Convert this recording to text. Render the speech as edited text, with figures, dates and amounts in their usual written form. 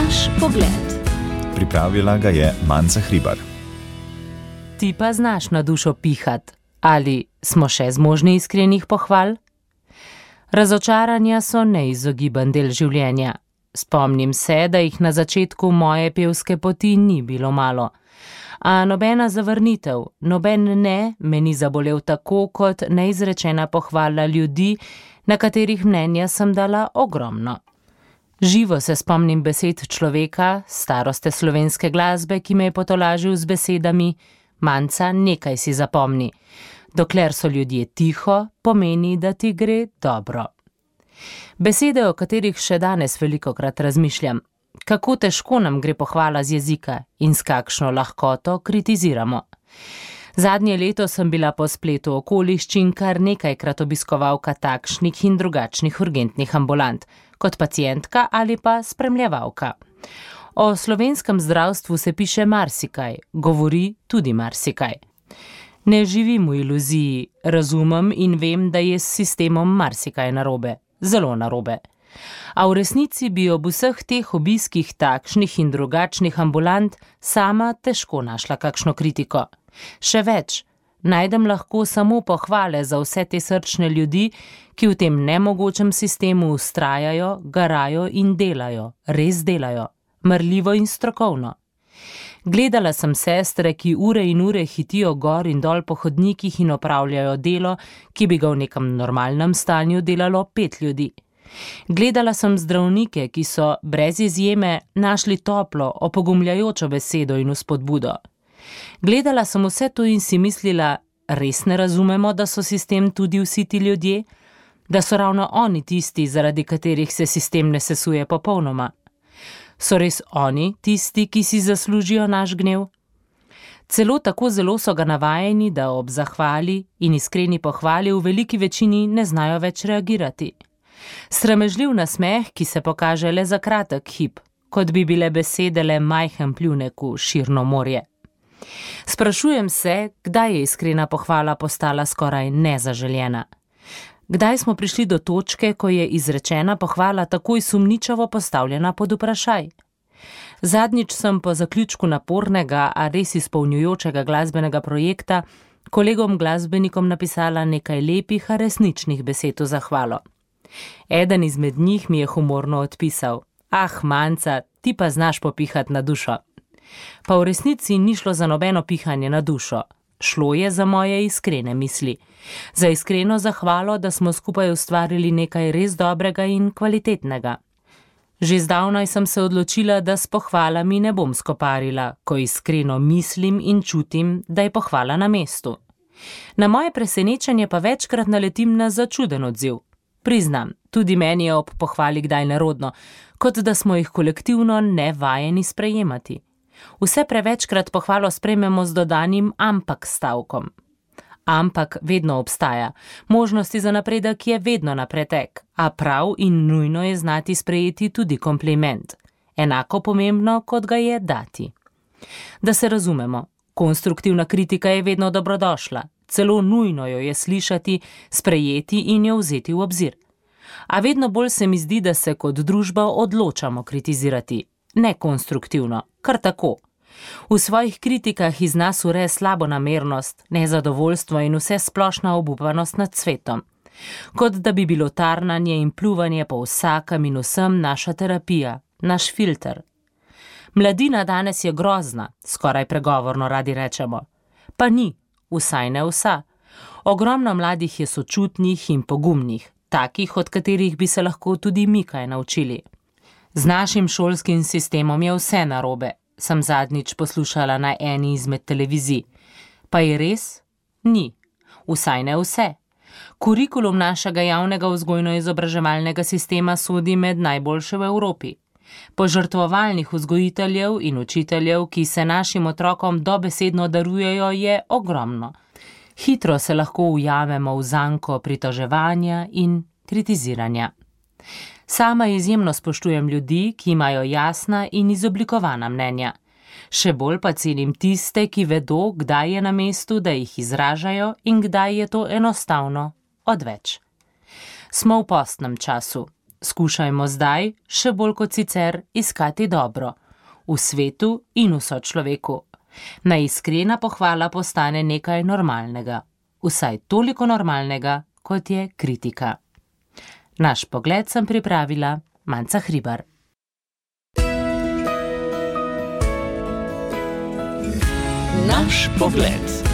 Naš pogled. Pripravila ga je Manca Hribar. Ti pa znaš na dušo pihat? Ali smo še zmožni iskrenih pohval? Razočaranja so neizogiben del življenja. Spomnim se, da jih na začetku moje pevske poti ni bilo malo. A nobena zavrnitev, noben ne me ni zabolel tako kot neizrečena pohvala ljudi, na katerih mnenja sem dala ogromno. Živo se spomnim besed človeka, staroste slovenske glasbe, ki me je potolažil z besedami: Manca, nekaj si zapomni. Dokler so ljudje tiho, pomeni, da ti gre dobro. Besede, o katerih še danes velikokrat razmišljam. Kako težko nam gre pohvala z jezika in s kakšno lahkoto kritiziramo. Zadnje leto sem bila po spletu okoliščin kar nekajkrat obiskovalka takšnih in drugačnih urgentnih ambulant, kot pacientka ali pa spremljevalka. O slovenskem zdravstvu se piše marsikaj, govori tudi marsikaj. Ne živim v iluziji, razumem in vem, da je s sistemom marsikaj narobe, zelo narobe. A v resnici bi ob vseh teh obiskih takšnih in drugačnih ambulant sama težko našla kakšno kritiko. Še več, najdem lahko samo pohvale za vse te srčne ljudi, ki v tem nemogočem sistemu vztrajajo, garajo in delajo, res delajo, marljivo in strokovno. Gledala sem sestre, ki ure in ure hitijo gor in dol po hodnikih in opravljajo delo, ki bi ga v nekem normalnem stanju delalo 5 ljudi. Gledala sem zdravnike, ki so brez izjeme našli toplo, opogumljajočo besedo in vzpodbudo. Gledala sem vse to in si mislila, res ne razumemo, da so sistem tudi vsi ti ljudje? Da so ravno oni tisti, zaradi katerih se sistem ne sesuje popolnoma? So res oni tisti, ki si zaslužijo naš gnev? Celo tako zelo so ga navajeni, da ob zahvali in iskreni pohvali v veliki večini ne znajo več reagirati. Sramežljiv nasmeh, ki se pokaže le za kratek hip, kot bi bile besede le majhen pljunek v širno morje. Sprašujem se, kdaj je iskrena pohvala postala skoraj nezaželjena. Kdaj smo prišli do točke, ko je izrečena pohvala takoj sumničavo postavljena pod vprašaj? Zadnjič sem po zaključku napornega, a res izpolnjujočega glasbenega projekta kolegom glasbenikom napisala nekaj lepih, a resničnih besed v zahvalo. Eden izmed njih mi je humorno odpisal: Ah, Manca, ti pa znaš popihat na dušo. Pa v resnici ni šlo za nobeno pihanje na dušo. Šlo je za moje iskrene misli. Za iskreno zahvalo, da smo skupaj ustvarili nekaj res dobrega in kvalitetnega. Že zdavnaj sem se odločila, da s pohvalami ne bom skoparila, ko iskreno mislim in čutim, da je pohvala na mestu. Na moje presenečenje pa večkrat naletim na začuden odziv. Priznam, tudi meni je ob pohvali kdaj nerodno, kot da smo jih kolektivno nevajeni sprejemati. Vse prevečkrat pohvalo sprejmemo z dodanim ampak stavkom. Ampak vedno obstaja, možnosti za napredek je vedno na pretek, a prav in nujno je znati sprejeti tudi kompliment. Enako pomembno, kot ga je dati. Da se razumemo, konstruktivna kritika je vedno dobrodošla, celo nujno jo je slišati, sprejeti in jo vzeti v obzir. A vedno bolj se mi zdi, da se kot družba odločamo kritizirati. Ne konstruktivno, kar tako. V svojih kritikah iz nas ure slabonamernost, nezadovoljstvo in vse splošna obupanost nad svetom. Kot da bi bilo tarnanje in pljuvanje po vsakem in vsem naša terapija, naš filter. Mladina danes je grozna, skoraj pregovorno radi rečemo. Pa ni, vsaj ne vsa. Ogromno mladih je sočutnih in pogumnih, takih, od katerih bi se lahko tudi mi kaj naučili. Z našim šolskim sistemom je vse narobe, sem zadnjič poslušala na eni izmed televizij. Pa je res? Ni. Vsaj ne vse. Kurikulum našega javnega vzgojno-izobraževalnega sistema sodi med najboljše v Evropi. Požrtvovalnih vzgojiteljev in učiteljev, ki se našim otrokom dobesedno darujejo, je ogromno. Hitro se lahko ujamemo v zanko pritoževanja in kritiziranja. Sama izjemno spoštujem ljudi, ki imajo jasna in izoblikovana mnenja. Še bolj pa cenim tiste, ki vedo, kdaj je na mestu, da jih izražajo in kdaj je to enostavno odveč. Smo v postnem času. Skušajmo zdaj, še bolj kot sicer, iskati dobro. V svetu in v sočloveku. Naj iskrena pohvala postane nekaj normalnega. Vsaj toliko normalnega, kot je kritika. Naš pogled sem pripravila Manca Hribar. Naš pogled.